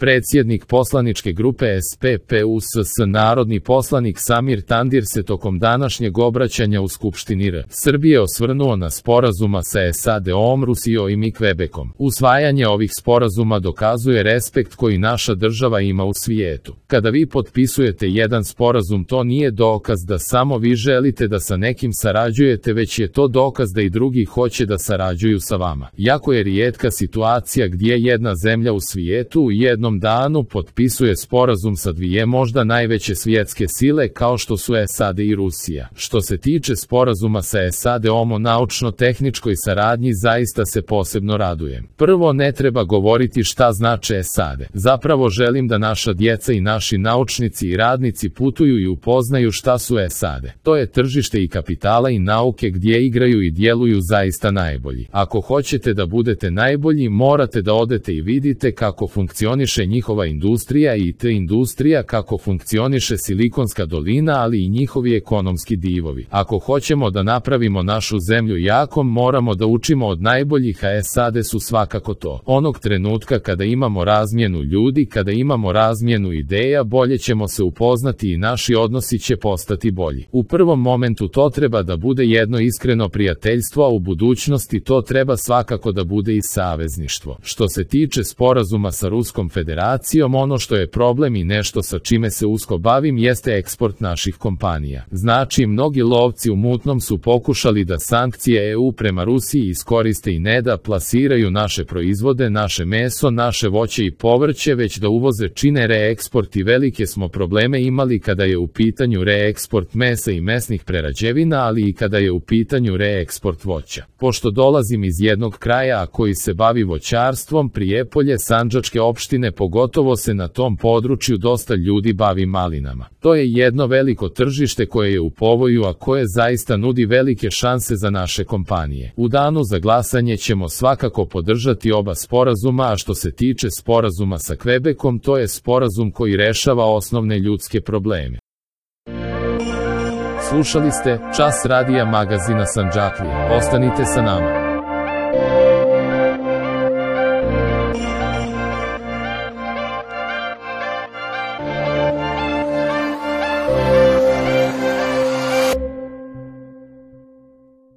Predsjednik poslaničke grupe SPPUSS narodni poslanik Samir Tandir se tokom današnjeg obraćanja u Skupštini R. Srbije osvrnuo na sporazuma sa SAD-om, Rusijom i Kvebekom. Usvajanje ovih sporazuma dokazuje respekt koji naša država ima u svijetu. Kada vi potpisujete jedan sporazum, to nije dokaz da samo vi želite da sa nekim sarađujete, već je to dokaz da i drugi hoće da sarađuju sa vama. Jako je rijetka situacija gdje jedna zemlja u svijetu u jednom danu potpisuje sporazum sa dvije možda najveće svjetske sile kao što su SAD i Rusija. Što se tiče sporazuma sa SAD-om o naučno-tehničkoj saradnji, zaista se posebno radujem. Prvo, ne treba govoriti šta znače SAD. Zapravo želim da naša djeca i naši naučnici i radnici putuju i upoznaju šta su SAD. To je tržište i kapitala i nauke gdje igraju i djeluju zaista najbolji. Ako hoćete da budete najbolji, morate da odete i vidite kako funkcioniše njihova industrija i IT industrija, kako funkcioniše Silikonska dolina, ali i njihovi ekonomski divovi. Ako hoćemo da napravimo našu zemlju jakom, moramo da učimo od najboljih, a SAD su svakako to. Onog trenutka kada imamo razmjenu ljudi, kada imamo razmjenu ideja, bolje ćemo se upoznati i naši odnosi će postati bolji. U prvom momentu to treba da bude jedno iskreno prijateljstvo, a u budućnosti to treba svakako da bude i savezništvo. Što se tiče sporazuma sa Ruskom federacijom, ono što je problem i nešto sa čime se usko bavim jeste eksport naših kompanija. Znači, mnogi lovci u mutnom su pokušali da sankcije EU prema Rusiji iskoriste i ne da plasiraju naše proizvode, naše meso, naše voće i povrće, već da uvoze, čine reeksport i velike smo probleme imali kada je u pitanju reeksport mesa i mesnih prerađevina, ali i kada je u pitanju reeksport voća. Pošto dolazim iz jednog kraja koji se bavi voćarstvom, Prijepolje, Sandžačke opštine, pogotovo se na tom području dosta ljudi bavi malinama. To je jedno veliko tržište koje je u povoju, a koje zaista nudi velike šanse za naše kompanije. U danu za glasanje ćemo svakako podržati oba sporazuma, a što se tiče sporazuma sa Kvebekom, to je sporazum koji rešava osnovne ljudske probleme. Slušali ste Čas radija magazina Sandžaklija. Ostanite sa nama.